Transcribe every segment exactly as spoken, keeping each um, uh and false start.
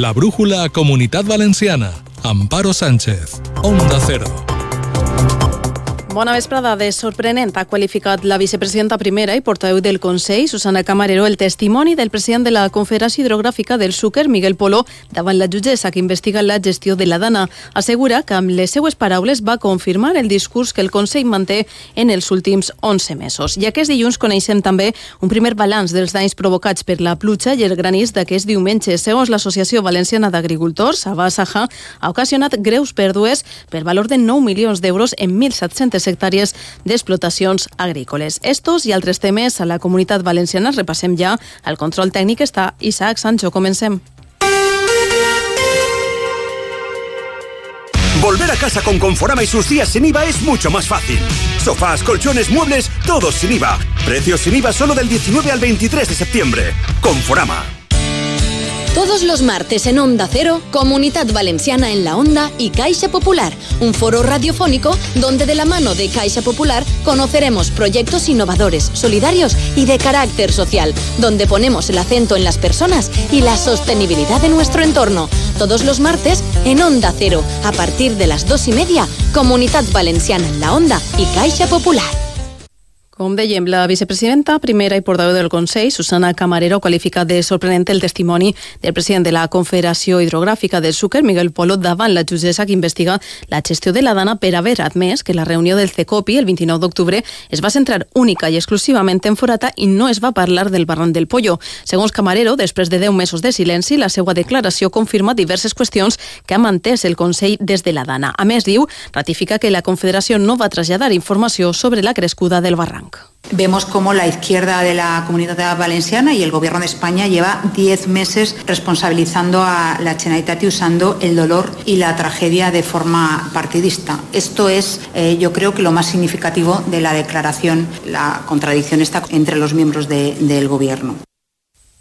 La brújula Comunitat Valenciana. Amparo Sánchez. Onda Cero. Bona vesprada. De sorprenent ha qualificat la vicepresidenta primera i portaveu del Consell, Susana Camarero, el testimoni del president de la Confederació Hidrogràfica del Xúquer, Miguel Polo, davant la jutgessa que investiga la gestió de la Dana. Assegura que amb les seues paraules va confirmar el discurs que el Consell manté en els últims onze mesos. I aquest dilluns coneixem també un primer balanç dels danys provocats per la pluja i el granís d'aquest diumenge. Segons l'Associació Valenciana d'Agricultors, Abasaja, ha ocasionat greus pèrdues per valor de nou milions d'euros en mil set-centes hectàrees d'explotacions agrícoles. Estos i altres temes a la Comunitat Valenciana repassem ja. Al control tècnic està Isaac Sancho. Comencem. Volver a casa con Conforama y sus días sin I V A es mucho más fácil. Sofás, colchones, muebles, todos sin I V A. Precios sin I V A solo del diecinueve al veintitrés de septiembre. Conforama. Todos los martes en Onda Cero, Comunidad Valenciana en la Onda y Caixa Popular, un foro radiofónico donde de la mano de Caixa Popular conoceremos proyectos innovadores, solidarios y de carácter social, donde ponemos el acento en las personas y la sostenibilidad de nuestro entorno. Todos los martes en Onda Cero, a partir de las dos y media, Comunidad Valenciana en la Onda y Caixa Popular. Com dèiem, la vicepresidenta primera i portaveu del Consell, Susana Camarero, qualifica de sorprenent el testimoni del president de la Confederació Hidrogràfica del Xúquer, Miguel Polo, davant la jutgessa que investiga la gestió de la Dana per haver admès que la reunió del CECOPI el vint-i-nou d'octubre es va centrar única i exclusivament en Forata i no es va parlar del barranc del Pollo. Segons Camarero, després de deu mesos de silenci, la seva declaració confirma diverses qüestions que ha mantès el Consell des de la Dana. A més, diu, ratifica que la Confederació no va traslladar informació sobre la crescuda del barranc. Vemos cómo la izquierda de la Comunidad Valenciana y el Gobierno de España lleva diez meses responsabilizando a la Generalitat y usando el dolor y la tragedia de forma partidista. Esto es, eh, yo creo que lo más significativo de la declaración, la contradicción está entre los miembros de, del Gobierno.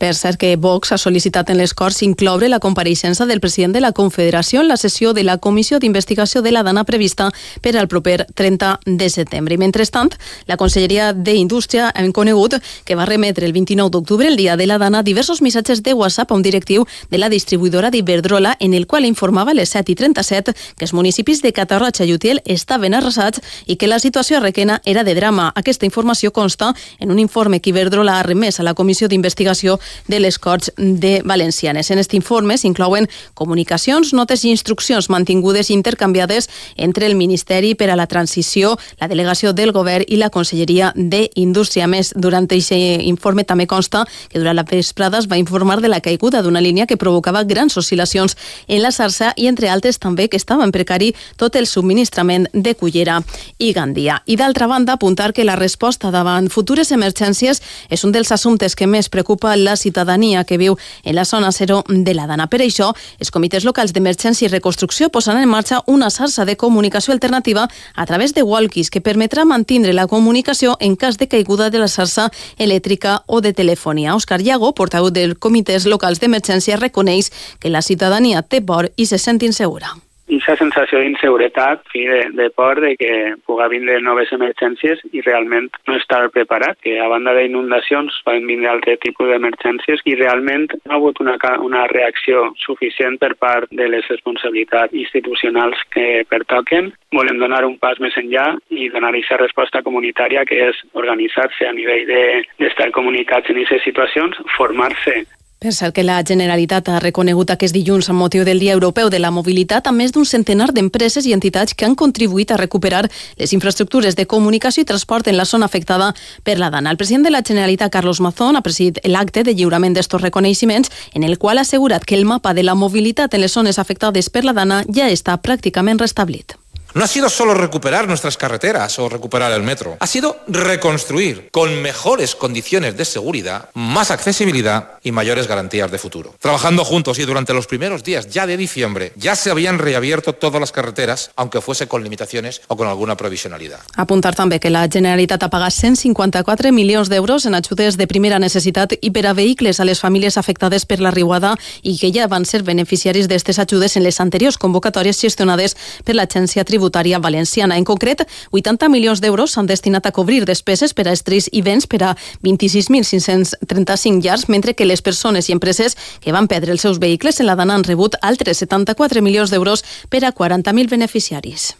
Per cert que Vox ha sol·licitat en les Corts incloure la compareixença del president de la Confederació en la sessió de la Comissió d'Investigació de la Dana prevista per al proper trenta de setembre. I mentrestant, la Conselleria d'Indústria ha conegut que va remetre el vint-i-nou d'octubre, el dia de la Dana, diversos missatges de WhatsApp a un directiu de la distribuïdora d'Iberdrola en el qual informava a les set i trenta-set que els municipis de Catarroja i Utiel estaven arrasats i que la situació a Requena era de drama. Aquesta informació consta en un informe que Iberdrola ha remès a la Comissió d'Investigació de les Corts de Valencianes. En aquest informe s'inclouen comunicacions, notes i instruccions mantingudes i intercanviades entre el Ministeri per a la Transició, la Delegació del Govern i la Conselleria d'Indústria. A més, durant aquest informe també consta que durant la vesprada es va informar de la caiguda d'una línia que provocava grans oscil·lacions en la xarxa i, entre altres, també que estava en precari tot el subministrament de Cullera i Gandia. I, d'altra banda, apuntar que la resposta davant futures emergències és un dels assumptes que més preocupa la ciutadania que viu en la zona zero de la Dana. Per això, els comitès locals d'emergència i reconstrucció posaran en marxa una xarxa de comunicació alternativa a través de walkies que permetrà mantindre la comunicació en cas de caiguda de la xarxa elèctrica o de telefonia. Òscar Llago, portaveu dels comitès locals d'emergència, reconeix que la ciutadania té por i se sent insegura. I aquesta sensació d'inseguretat, de, de por de que pugui vindre noves emergències i realment no estar preparat, que a banda d'inundacions poden vindre altre tipus d'emergències i realment no ha hagut una, una reacció suficient per part de les responsabilitats institucionals que pertoquen. Volem donar un pas més enllà i donar aquesta resposta comunitària que és organitzar-se a nivell d'estar de, comunicats en aquestes situacions, formar-se. Per cert que la Generalitat ha reconegut aquest dilluns amb motiu del Dia Europeu de la Mobilitat a més d'un centenar d'empreses i entitats que han contribuït a recuperar les infraestructures de comunicació i transport en la zona afectada per la Dana. El president de la Generalitat, Carlos Mazón, ha presidit l'acte de lliurament d'estos reconeixements en el qual ha assegurat que el mapa de la mobilitat en les zones afectades per la Dana ja està pràcticament restablit. No ha sido solo recuperar nuestras carreteras o recuperar el metro, ha sido reconstruir con mejores condiciones de seguridad, más accesibilidad y mayores garantías de futuro. Trabajando juntos y durante los primeros días ya de diciembre ya se habían reabierto todas las carreteras, aunque fuese con limitaciones o con alguna provisionalidad. Apuntar també que la Generalitat ha pagat cent cinquanta-quatre milions d'euros en ajudes de primera necessitat i per a vehicles a les famílies afectades per la riuada i que ja van ser beneficiaris d'aquestes ajudes en les anteriors convocatòries gestionades per l'Agència Tributària tributària valenciana. En concret, vuitanta milions d'euros s'han destinat a cobrir despeses per a estris i béns per a vint-i-sis mil cinc-cents trenta-cinc llars, mentre que les persones i empreses que van perdre els seus vehicles en la Dana han rebut altres setanta-quatre milions d'euros per a quaranta mil beneficiaris.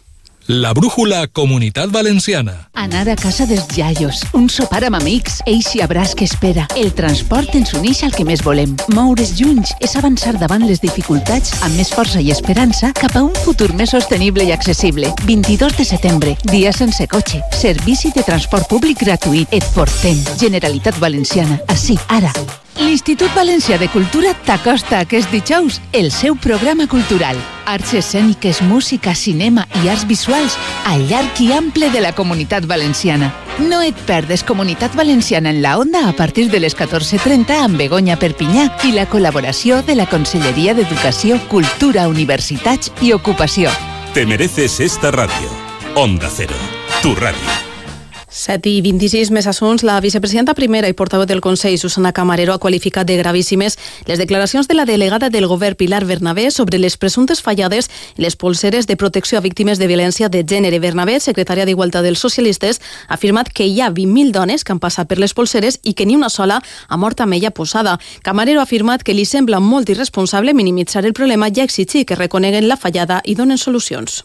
La brújula Comunitat Valenciana. Anar a casa dels iaios, un sopar amb amics, eixe abraç que espera. El transport ens uneix al que més volem. Moure's junts és avançar davant les dificultats amb més força i esperança cap a un futur més sostenible i accessible. vint-i-dos de setembre, dia sense cotxe. Servici de transport públic gratuït. Et portem. Generalitat Valenciana. Ací, ara. L'Institut Valencià de Cultura t'acosta aquest dijous el seu programa cultural. Arts escèniques, música, cinema i arts visuals al llarg i ample de la Comunitat Valenciana. No et perdes Comunitat Valenciana en la Onda a partir de les catorze trenta amb Begoña Perpinyà i la col·laboració de la Conselleria d'Educació, Cultura, Universitats i Ocupació. Te mereces esta radio. Onda Cero, tu radio. set i vint-i-sis més assunts. La vicepresidenta primera i portaveu del Consell, Susana Camarero, ha qualificat de gravíssimes les declaracions de la delegada del govern, Pilar Bernabé, sobre les presumptes fallades en les polseres de protecció a víctimes de violència de gènere. Bernabé, secretària d'Igualtat dels Socialistes, ha afirmat que hi ha vint mil dones que han passat per les polseres i que ni una sola ha mort amb ella posada. Camarero ha afirmat que li sembla molt irresponsable minimitzar el problema i exigir que reconeguen la fallada i donen solucions.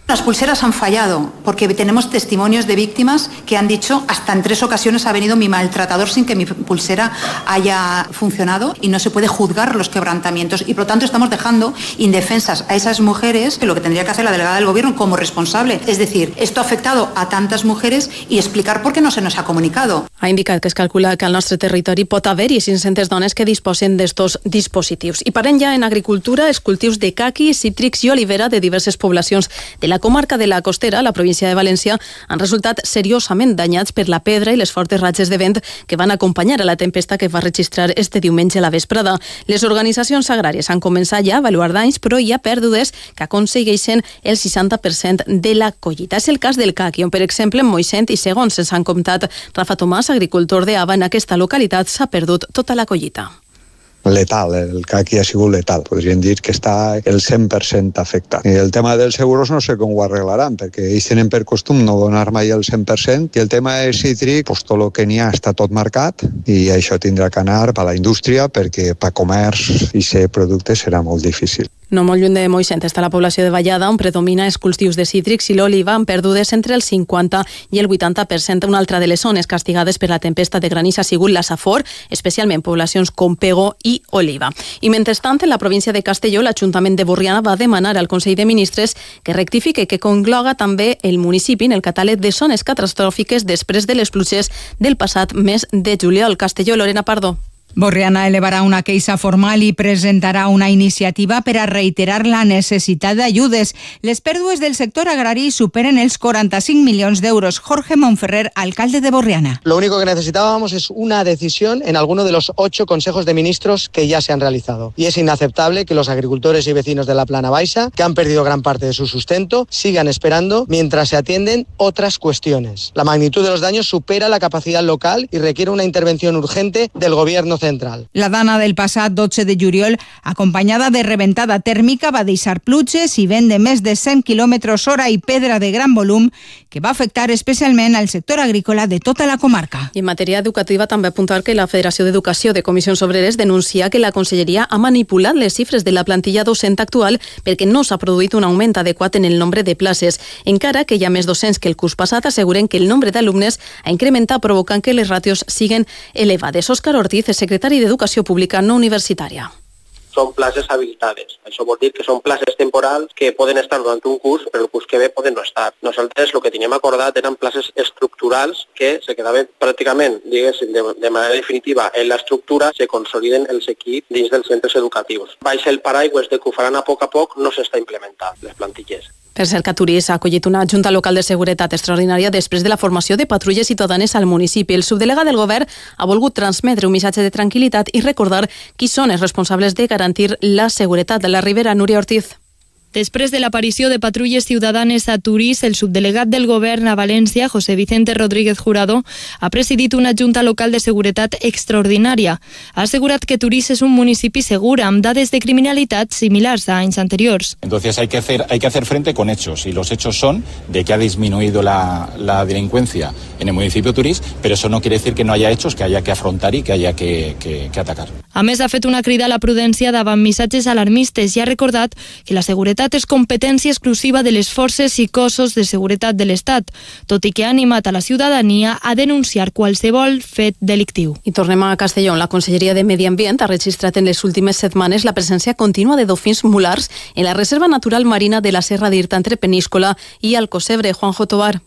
Las pulseras han fallado porque tenemos testimonios de víctimas que han dicho hasta en tres ocasiones ha venido mi maltratador sin que mi pulsera haya funcionado y no se puede juzgar los quebrantamientos y por lo tanto estamos dejando indefensas a esas mujeres, que lo que tendría que hacer la delegada del gobierno como responsable, es decir, esto ha afectado a tantas mujeres y explicar por qué no se nos ha comunicado. Ha indicat que es calcula que al nostre territori pot haver-hi cinc-centes dones que disposen d'estos dispositius. I parem ja en agricultura, els cultius de caqui, cítrics i olivera de diverses poblacions de la comarca de la Costera, la província de València, han resultat seriosament danyats per la pedra i les fortes ratxes de vent que van acompanyar a la tempesta que va registrar este diumenge a la vesprada. Les organitzacions agràries han començat ja a avaluar danys, però hi ha pèrdues que aconsegueixen el seixanta per cent de la collita. És el cas del caqui, on, per exemple, en Moixent i segons ens han comptat Rafa Tomàs, agricultor de Ava, en aquesta localitat s'ha perdut tota la collita. Letal, el caqui ha sigut letal. Podríem dir que està el cent per cent afectat. I el tema dels seguros no sé com ho arreglaran, perquè ells tenen per costum no donar mai el cent per cent, i el tema del cítric, pues, tot el que n'hi ha està tot marcat, i això tindrà que anar a la indústria, perquè per comerç i ser producte serà molt difícil. No molt lluny de Moixent està la població de Vallada, on predomina els cultius de cítrics i l'oliva, amb pèrdues entre el cinquanta i el vuitanta per cent. Una altra de les zones castigades per la tempesta de granís ha sigut la Safor, especialment poblacions com Pego i Oliva. I mentrestant, en la província de Castelló, l'Ajuntament de Borriana va demanar al Consell de Ministres que rectifique que congloga també el municipi en el catàleg de zones catastròfiques després de les pluges del passat mes de juliol. Castelló, Lorena Pardo. Borriana elevarà una queixa formal i presentarà una iniciativa per a reiterar la necessitat d'ajudes. Les pèrdues del sector agrari superen els quaranta-cinc milions d'euros. Jorge Monferrer, alcalde de Borriana. Lo único que necesitábamos es una decisión en alguno de los ocho consejos de ministros que ya se han realizado. Y es inaceptable que los agricultores y vecinos de la Plana Baixa, que han perdido gran parte de su sustento, sigan esperando mientras se atienden otras cuestiones. La magnitud de los daños supera la capacidad local y requiere una intervención urgente del gobierno central. La dana del passat dotze de juliol, acompanyada de reventada tèrmica, va deixar pluges i vent de més de cent quilòmetres hora i pedra de gran volum que va afectar especialment al sector agrícola de tota la comarca. I en matèria educativa també apuntar que la Federació d'Educació de Comissions Obreres denuncia que la Conselleria ha manipulat les xifres de la plantilla docent actual perquè no s'ha produït un augment adequat en el nombre de places. Encara que hi ha més docents que el curs passat, asseguren que el nombre d'alumnes ha incrementat, provocant que les ràtios siguen elevades. Òscar Ortiz, secretari d'Educació Pública no universitària. Són places habilitades. Això vol dir que són places temporals que poden estar durant un curs, però el curs que ve poden no estar. Nosaltres el que teníem acordat eren places estructurals que se quedaven pràcticament, diguéssim, de, de manera definitiva en l'estructura, se consoliden els equips dins dels centres educatius. Baix el paraigües de que ho faran a poc a poc, no s'està implementant les plantilles. Per cert, Caturís ha acollit una Junta Local de Seguretat extraordinària després de la formació de patrulles ciutadanes al municipi. El subdelegat del govern ha volgut transmetre un missatge de tranquil·litat i recordar qui són els responsables de garantir la seguretat de la Ribera. Núria Ortiz. Després de l'aparició de patrulles ciutadanes a Turís, el subdelegat del govern a València, José Vicente Rodríguez Jurado, ha presidit una junta local de seguretat extraordinària. Ha assegurat que Turís és un municipi segur amb dades de criminalitat similars a anys anteriors. Entonces hay que hacer, hay que hacer frente con hechos, y los hechos son de que ha disminuido la, la delincuencia en el municipio de Turís, pero eso no quiere decir que no haya hechos que haya que afrontar y que haya que, que, que atacar. A més, ha fet una crida a la prudència davant missatges alarmistes i ha recordat que la seguretat és competència exclusiva de les forces i cossos de seguretat de l'Estat, tot i que ha animat a la ciutadania a denunciar qualsevol fet delictiu. I tornem a Castelló. La Conselleria de Medi Ambient ha registrat en les últimes setmanes la presència contínua de dofins mulars en la Reserva Natural Marina de la Serra d'Irta entre Peníscola i Alcocebre. Juanjo Tobar.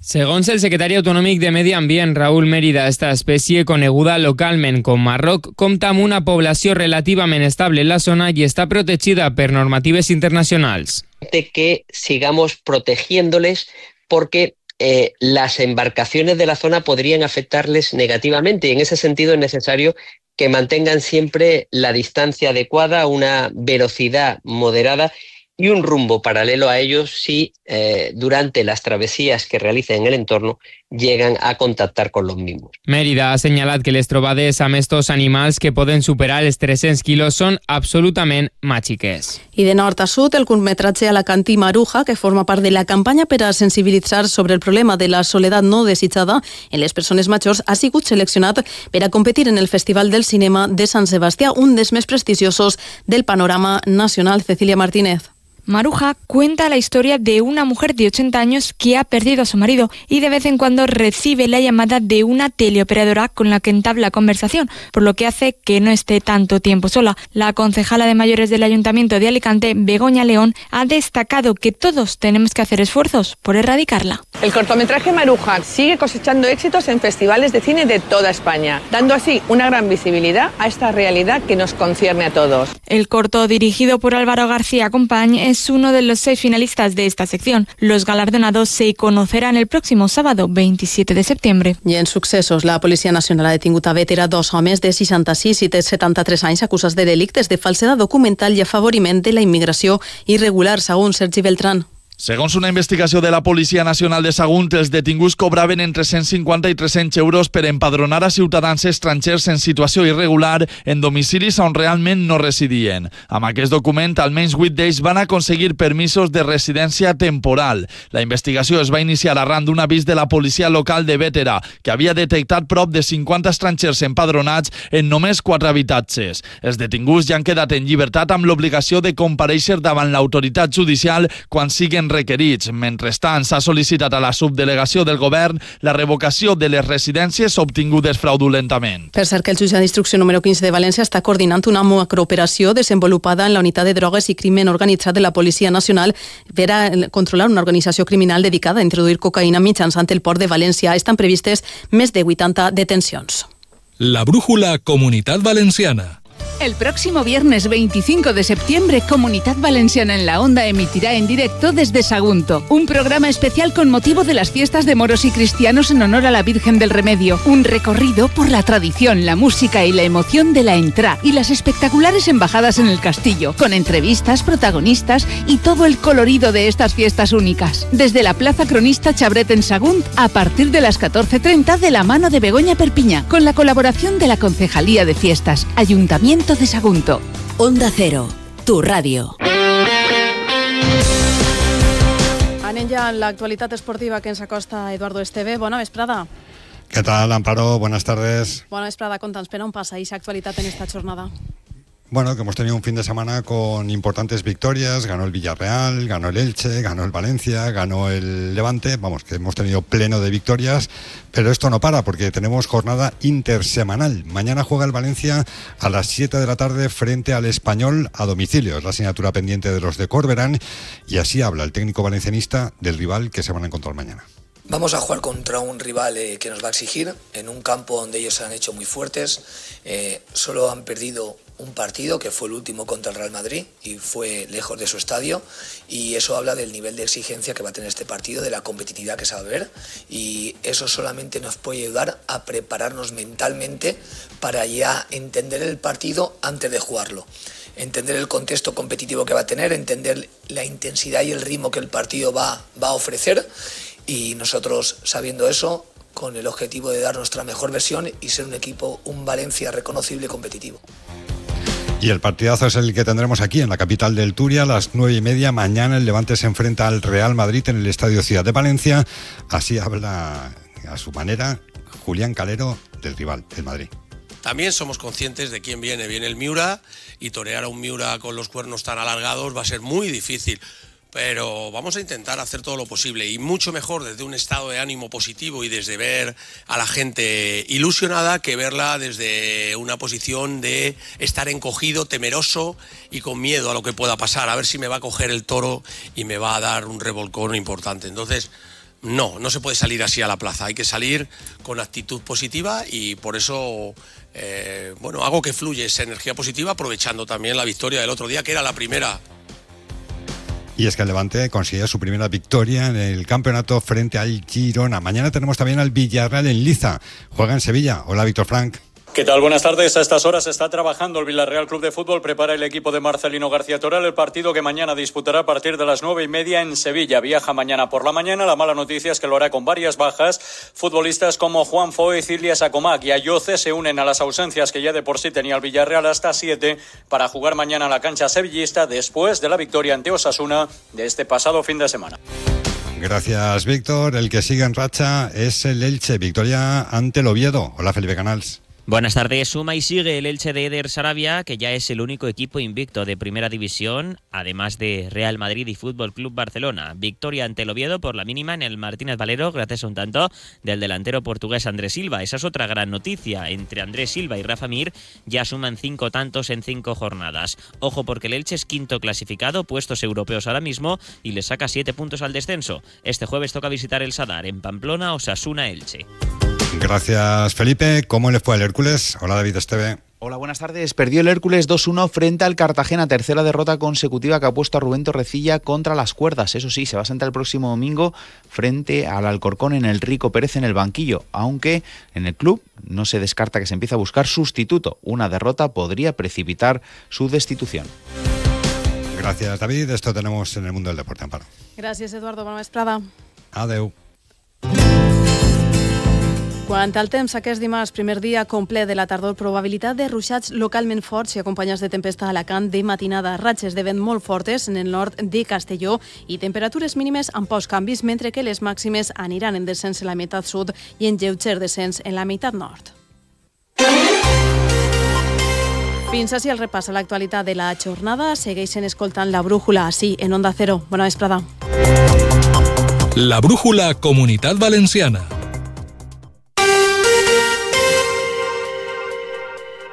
Segons el secretari autonòmic de Medi Ambient, Raúl Mérida, esta espècie, coneguda localment com marroc, compta amb una població relativament estable en la zona i està protegida per normatives internacionals. De que sigamos protegiéndoles porque eh, las embarcaciones de la zona podrían afectarles negativamente y en ese sentido es necesario que mantengan siempre la distancia adecuada, una velocidad moderada y un rumbo paralelo a ellos si eh, durante las travesías que realicen en el entorno llegan a contactar con los mismos. Mérida ha assenyalat que les trobades amb estos animals que poden superar els tres-cents quilos són absolutament màgiques. I de nord a sud, el curtmetratge Alacantí Maruja, que forma part de la campanya per a sensibilitzar sobre el problema de la soledat no desitjada en les persones majors, ha sigut seleccionat per a competir en el Festival del Cinema de Sant Sebastià, un dels més prestigiosos del panorama nacional. Cecilia Martínez. Maruja cuenta la historia de una mujer de ochenta años que ha perdido a su marido y de vez en cuando recibe la llamada de una teleoperadora con la que entabla conversación, por lo que hace que no esté tanto tiempo sola. La concejala de mayores del Ayuntamiento de Alicante, Begoña León, ha destacado que todos tenemos que hacer esfuerzos por erradicarla. El cortometraje Maruja sigue cosechando éxitos en festivales de cine de toda España, dando así una gran visibilidad a esta realidad que nos concierne a todos. El corto, dirigido por Álvaro García Compañ, es uno de los seis finalistas de esta sección. Los galardonados se conocerán el próximo sábado, veintisiete de septiembre. I en successos, la Policia Nacional ha detingut a Bétera dos homes de seixanta-sis i setanta-tres anys acusats de delictes de falsedat documental i afavoriment de la immigració irregular, segons Sergi Beltrán. Segons una investigació de la Policia Nacional de Sagunt, els detinguts cobraven entre cent cinquanta i tres-cents euros per empadronar a ciutadans estrangers en situació irregular en domicilis on realment no residien. Amb aquest document, almenys vuit d'ells van aconseguir permisos de residència temporal. La investigació es va iniciar arran d'un avís de la policia local de Bétera, que havia detectat prop de cinquanta estrangers empadronats en només quatre habitatges. Els detinguts ja han quedat en llibertat amb l'obligació de comparèixer davant l'autoritat judicial quan siguen requerits. Mentrestant, s'ha sol·licitat a la subdelegació del govern la revocació de les residències obtingudes fraudulentament. Per cert, que el jutge d'instrucció número quinze de València està coordinant una macrooperació desenvolupada en la unitat de drogues i crimen organitzat de la Policia Nacional per a controlar una organització criminal dedicada a introduir cocaïna mitjançant el port de València. Estan previstes més de vuitanta detencions. La brújula Comunitat Valenciana. El próximo viernes veinticinco de septiembre, Comunidad Valenciana en la Onda emitirá en directo desde Sagunto, un programa especial con motivo de las fiestas de moros y cristianos en honor a la Virgen del Remedio. Un recorrido por la tradición, la música y la emoción de la Entrá y las espectaculares embajadas en el castillo, con entrevistas, protagonistas y todo el colorido de estas fiestas únicas. Desde la Plaza Cronista Chabret en Sagunt, a partir de las catorce treinta, de la mano de Begoña Perpiñá, con la colaboración de la Concejalía de Fiestas, Ayuntamiento de Sagunto. Onda Cero, tu radio. Anem ja a l'actualitat esportiva que ens acosta Eduardo Esteve. Bona vesprada. ¿Qué tal, Amparo? Buenas tardes. Bona vesprada. Conta'ns per on passa aquesta actualitat en esta jornada. Bueno, que hemos tenido un fin de semana con importantes victorias. Ganó el Villarreal, ganó el Elche, ganó el Valencia, ganó el Levante. Vamos, que hemos tenido pleno de victorias. Pero esto no para, porque tenemos jornada intersemanal. Mañana juega el Valencia a las siete de la tarde frente al Español a domicilio. Es la asignatura pendiente de los de Corberán. Y así habla el técnico valencianista del rival que se van a encontrar mañana. Vamos a jugar contra un rival eh, que nos va a exigir, en un campo donde ellos se han hecho muy fuertes. Eh, solo han perdido un partido, que fue el último contra el Real Madrid, y fue lejos de su estadio, y eso habla del nivel de exigencia que va a tener este partido, de la competitividad que se va a ver, y eso solamente nos puede ayudar a prepararnos mentalmente para ya entender el partido antes de jugarlo. entender el contexto competitivo que va a tener, entender la intensidad y el ritmo que el partido va, va a ofrecer, y nosotros, sabiendo eso, con el objetivo de dar nuestra mejor versión y ser un equipo, un Valencia reconocible y competitivo. Y el partidazo es el que tendremos aquí en la capital del Turia a las nueve y media. Mañana el Levante se enfrenta al Real Madrid en el Estadio Ciudad de Valencia. Así habla a su manera Julián Calero del rival, el Madrid. También somos conscientes de quién viene. Viene el Miura, y torear a un Miura con los cuernos tan alargados va a ser muy difícil. Pero vamos a intentar hacer todo lo posible, y mucho mejor desde un estado de ánimo positivo y desde ver a la gente ilusionada que verla desde una posición de estar encogido, temeroso y con miedo a lo que pueda pasar, a ver si me va a coger el toro y me va a dar un revolcón importante. Entonces, no, no se puede salir así a la plaza, hay que salir con actitud positiva, y por eso eh, bueno, hago que fluya esa energía positiva, aprovechando también la victoria del otro día, que era la primera. Y es que el Levante consigue su primera victoria en el campeonato frente al Girona. Mañana tenemos también al Villarreal en Liza. Juega en Sevilla. Hola, Víctor Frank. ¿Qué tal? Buenas tardes. A estas horas está trabajando el Villarreal Club de Fútbol. Prepara el equipo de Marcelino García Toral el partido que mañana disputará a partir de las nueve y media en Sevilla. Viaja mañana por la mañana. La mala noticia es que lo hará con varias bajas. Futbolistas como Juan Foyth, Ilias Acomac y Ayoce se unen a las ausencias que ya de por sí tenía el Villarreal, hasta siete, para jugar mañana en la cancha sevillista después de la victoria ante Osasuna de este pasado fin de semana. Gracias, Víctor. El que sigue en racha es el Elche. Victoria ante el Oviedo. Hola, Felipe Canals. Buenas tardes. Suma y sigue el Elche de Eder Sarabia, que ya es el único equipo invicto de Primera División, además de Real Madrid y Fútbol Club Barcelona. Victoria ante el Oviedo por la mínima en el Martínez Valero, gracias a un tanto del delantero portugués Andrés Silva. Esa es otra gran noticia. Entre Andrés Silva y Rafa Mir ya suman cinco tantos en cinco jornadas. Ojo, porque el Elche es quinto clasificado, puestos europeos ahora mismo, y le saca siete puntos al descenso. Este jueves toca visitar el Sadar en Pamplona, Osasuna Elche. Gracias, Felipe. ¿Cómo le fue al Hércules? Hola, David Esteve. Hola, buenas tardes. Perdió el Hércules dos uno frente al Cartagena, tercera derrota consecutiva que ha puesto a Rubén Torrecilla contra las cuerdas. Eso sí, se va a sentar el próximo domingo frente al Alcorcón en el Rico Pérez en el banquillo, aunque en el club no se descarta que se empiece a buscar sustituto. Una derrota podría precipitar su destitución. Gracias, David. Esto tenemos en el mundo del deporte, Amparo. Gràcies, Eduardo. Bona vesprada. Adeu. Quant al temps, aquest dimarts, primer dia complet de la tardor, probabilitat de ruixats localment forts i acompanyats de tempesta a Alacant de matinada, ratxes de vent molt fortes en el nord de Castelló i temperatures mínimes amb pocs canvis, mentre que les màximes aniran en descens en la meitat sud i en lleuger descens en la meitat nord. Fins així el repàs a l'actualitat de la jornada. Segueixen escoltant La Brújula, així, en Onda Cero. Bona vesprada. La Brújula Comunitat Valenciana.